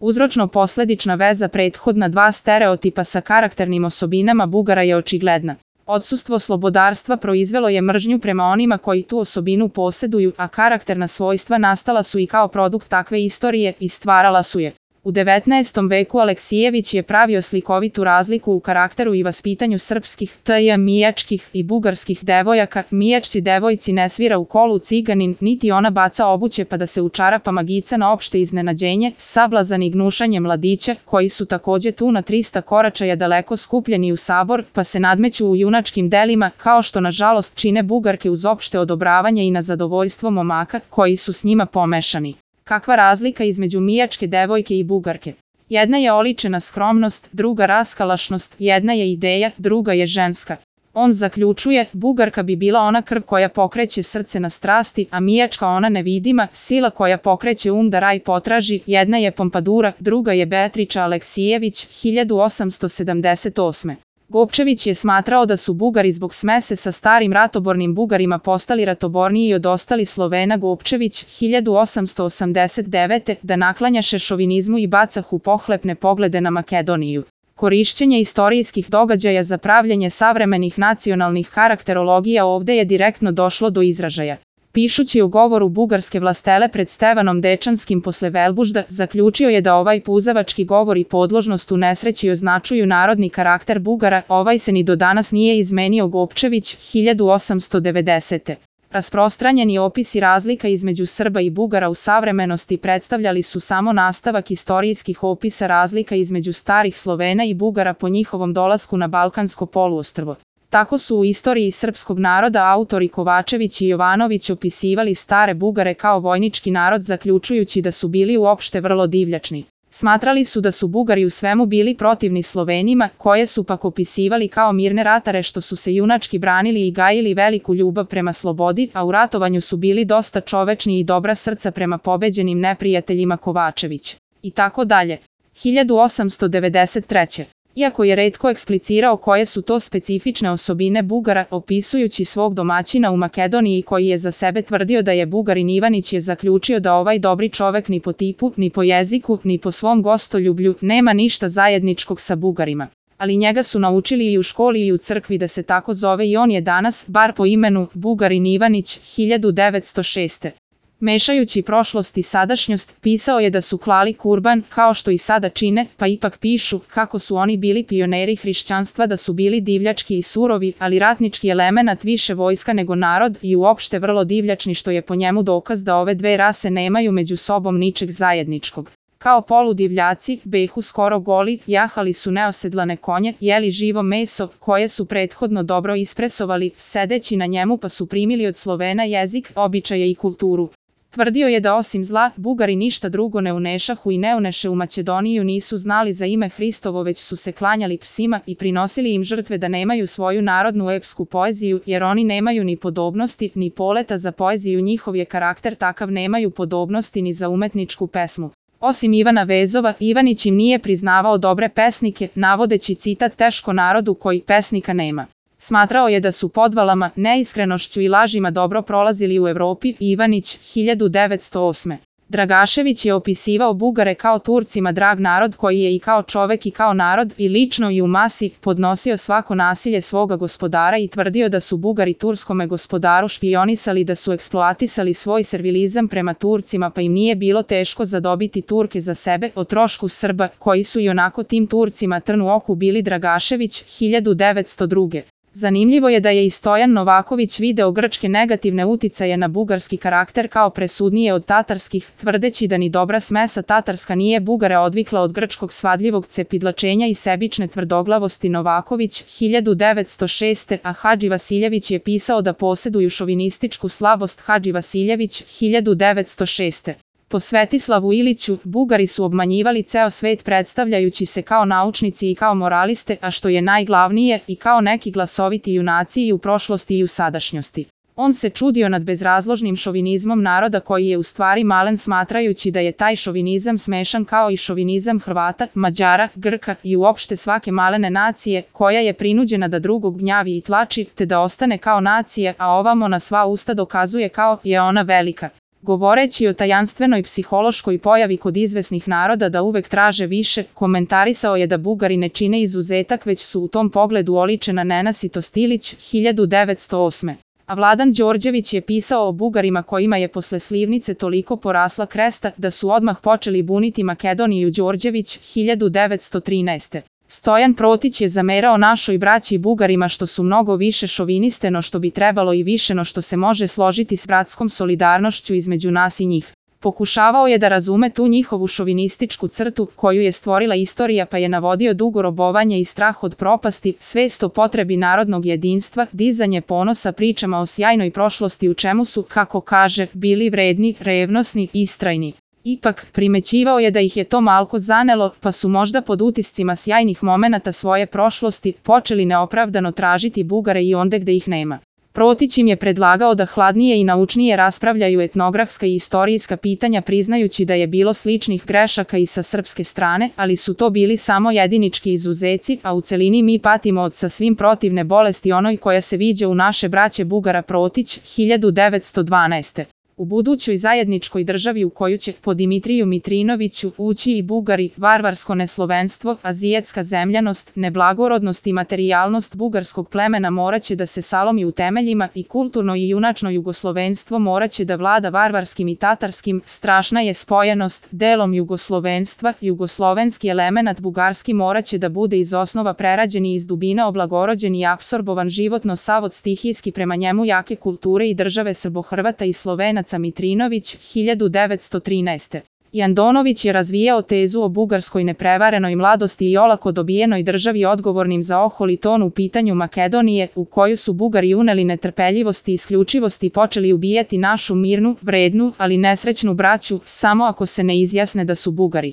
Uzročno-posledična veza prethodna dva stereotipa sa karakternim osobinama Bugara je očigledna. Odsustvo slobodarstva proizvelo je mržnju prema onima koji tu osobinu poseduju, a karakterna svojstva nastala su i kao produkt takve istorije i stvarala su je. U 19. veku Aleksijević je pravio slikovitu razliku u karakteru i vaspitanju srpskih, mijačkih i bugarskih devojaka. Mijačci devojci ne svira u kolu ciganin, niti ona baca obuće pa da se u čarapama gica na opšte iznenađenje, sablazani gnušanje mladića, koji su takođe tu na 300 koračaja daleko skupljeni u sabor, pa se nadmeću u junačkim delima, kao što nažalost čine Bugarke uz opšte odobravanje i na zadovoljstvo momaka, koji su s njima pomešani. Kakva razlika između mijačke devojke i Bugarke? Jedna je oličena skromnost, druga raskalašnost, jedna je ideja, druga je ženska. On zaključuje, Bugarka bi bila ona krv koja pokreće srce na strasti, a mijačka ona nevidima, sila koja pokreće da raj potraži. Jedna je Pompadura, druga je Beatriča Aleksijević, 1878. Gopčević je smatrao da su Bugari zbog smese sa starim ratobornim Bugarima postali ratoborniji od ostalih Slovena. Gopčević, 1889. da naklanjaše šovinizmu i bacahu pohlepne poglede na Makedoniju. Korišćenje istorijskih događaja za pravljenje savremenih nacionalnih karakterologija ovde je direktno došlo do izražaja. Pišući o govoru bugarske vlastele pred Stevanom Dečanskim posle Velbužda, zaključio je da ovaj puzavački govor i podložnost u nesreći označuju narodni karakter Bugara, ovaj se ni do danas nije izmenio. Gopčević, 1890. Rasprostranjeni opisi razlika između Srba i Bugara u savremenosti predstavljali su samo nastavak istorijskih opisa razlika između starih Slovena i Bugara po njihovom dolasku na Balkansko poluostrvo. Tako su u istoriji srpskog naroda autori Kovačević i Jovanović opisivali stare Bugare kao vojnički narod, zaključujući da su bili uopšte vrlo divljačni. Smatrali su da su Bugari u svemu bili protivni Slovenima, koje su pak opisivali kao mirne ratare što su se junački branili i gajili veliku ljubav prema slobodi, a u ratovanju su bili dosta čovečni i dobra srca prema pobeđenim neprijateljima. Kovačević. I tako dalje. 1893. Iako je retko eksplicirao koje su to specifične osobine Bugara, opisujući svog domaćina u Makedoniji koji je za sebe tvrdio da je Bugarin, Ivanić je zaključio da ovaj dobri čovek ni po tipu, ni po jeziku, ni po svom gostoljublju nema ništa zajedničkog sa Bugarima. Ali njega su naučili i u školi i u crkvi da se tako zove i on je danas, bar po imenu, Bugarin Ivanić, 1906. Mešajući prošlost i sadašnjost, pisao je da su klali kurban, kao što i sada čine, pa ipak pišu kako su oni bili pioneri hrišćanstva, da su bili divljački i surovi, ali ratnički elemenat više vojska nego narod i uopšte vrlo divljačni, što je po njemu dokaz da ove dve rase nemaju među sobom ničeg zajedničkog. Kao poludivljaci, behu skoro goli, jahali su neosedlane konje, jeli živo meso, koje su prethodno dobro ispresovali, sedeći na njemu pa su primili od Slovena jezik, običaje i kulturu. Tvrdio je da osim zla, Bugari ništa drugo ne unešahu i ne uneše u Makedoniju, nisu znali za ime Hristovo, već su se klanjali psima i prinosili im žrtve, da nemaju svoju narodnu epsku poeziju, jer oni nemaju ni podobnosti, ni poleta za poeziju, njihov je karakter takav, nemaju podobnosti ni za umetničku pesmu. Osim Ivana Vezova, Ivanić im nije priznavao dobre pesnike, navodeći citat teško narodu koji pesnika nema. Smatrao je da su podvalama, neiskrenošću i lažima dobro prolazili u Evropi. Ivanić, 1908. Dragašević je opisivao Bugare kao Turcima drag narod koji je i kao čovek i kao narod i lično i u masi podnosio svako nasilje svoga gospodara i tvrdio da su Bugari turskome gospodaru špionisali, da su eksploatisali svoj servilizam prema Turcima, pa im nije bilo teško zadobiti Turke za sebe o trošku Srba, koji su i onako tim Turcima trn u oku bili. Dragašević, 1902. Zanimljivo je da je i Stojan Novaković video grčke negativne uticaje na bugarski karakter kao presudnije od tatarskih, tvrdeći da ni dobra smesa tatarska nije Bugare odvikla od grčkog svadljivog cepidlačenja i sebične tvrdoglavosti. Novaković, 1906. A Hadži Vasiljević je pisao da poseduju šovinističku slabost. Hadži Vasiljević, 1906. Po Svetislavu Iliću, Bugari su obmanjivali ceo svet predstavljajući se kao naučnici i kao moraliste, a što je najglavnije, i kao neki glasoviti junaci i u prošlosti i u sadašnjosti. On se čudio nad bezrazložnim šovinizmom naroda koji je u stvari malen, smatrajući da je taj šovinizam smešan kao i šovinizam Hrvata, Mađara, Grka i uopšte svake malene nacije, koja je prinuđena da drugog gnjavi i tlači, te da ostane kao nacija, a ovamo na sva usta dokazuje kao je ona velika. Govoreći o tajanstvenoj psihološkoj pojavi kod izvesnih naroda da uvek traže više, komentarisao je da Bugari ne čine izuzetak već su u tom pogledu oličena Nenasitost Ilić, 1908. A Vladan Đorđević je pisao o Bugarima kojima je posle slivnice toliko porasla kresta da su odmah počeli buniti Makedoniju Đorđević, 1913. Stojan Protić je zamerao našoj braći Bugarima što su mnogo više šoviniste no što bi trebalo i više no što se može složiti s bratskom solidarnošću između nas i njih. Pokušavao je da razume tu njihovu šovinističku crtu koju je stvorila istorija pa je navodio dugo robovanje i strah od propasti, svest o potrebi narodnog jedinstva, dizanje ponosa pričama o sjajnoj prošlosti u čemu su, kako kaže, bili vredni, revnosni, istrajni. Ipak, primećivao je da ih je to malko zanelo, pa su možda pod utiscima sjajnih momenata svoje prošlosti počeli neopravdano tražiti Bugare i onde gde ih nema. Protić im je predlagao da hladnije i naučnije raspravljaju etnografska i istorijska pitanja priznajući da je bilo sličnih grešaka i sa srpske strane, ali su to bili samo jedinički izuzeci, a u celini mi patimo od sasvim protivne bolesti onoj koja se viđa u naše braće Bugara. Protić, 1912. U budućoj zajedničkoj državi u koju će, po Dimitriju Mitrinoviću, ući i Bugari, varvarsko neslovenstvo, azijetska zemljanost, neblagorodnost i materijalnost bugarskog plemena moraće da se salomi u temeljima i kulturno i junačno jugoslovenstvo moraće da vlada varvarskim i tatarskim, strašna je spojenost, delom jugoslovenstva, jugoslovenski elemenat bugarski moraće da bude iz osnova prerađen i iz dubina oblagorođen i apsorbovan životno sav od stihijski prema njemu jake kulture i države Srbohrvata i Slovenaca. Mitrinović, 1913. I Andonović je razvijao tezu o bugarskoj neprevarenoj mladosti i olako dobijenoj državi odgovornim za oholi ton u pitanju Makedonije, u koju su Bugari uneli netrpeljivost i isključivost i počeli ubijati našu mirnu, vrednu, ali nesrećnu braću, samo ako se ne izjasne da su Bugari.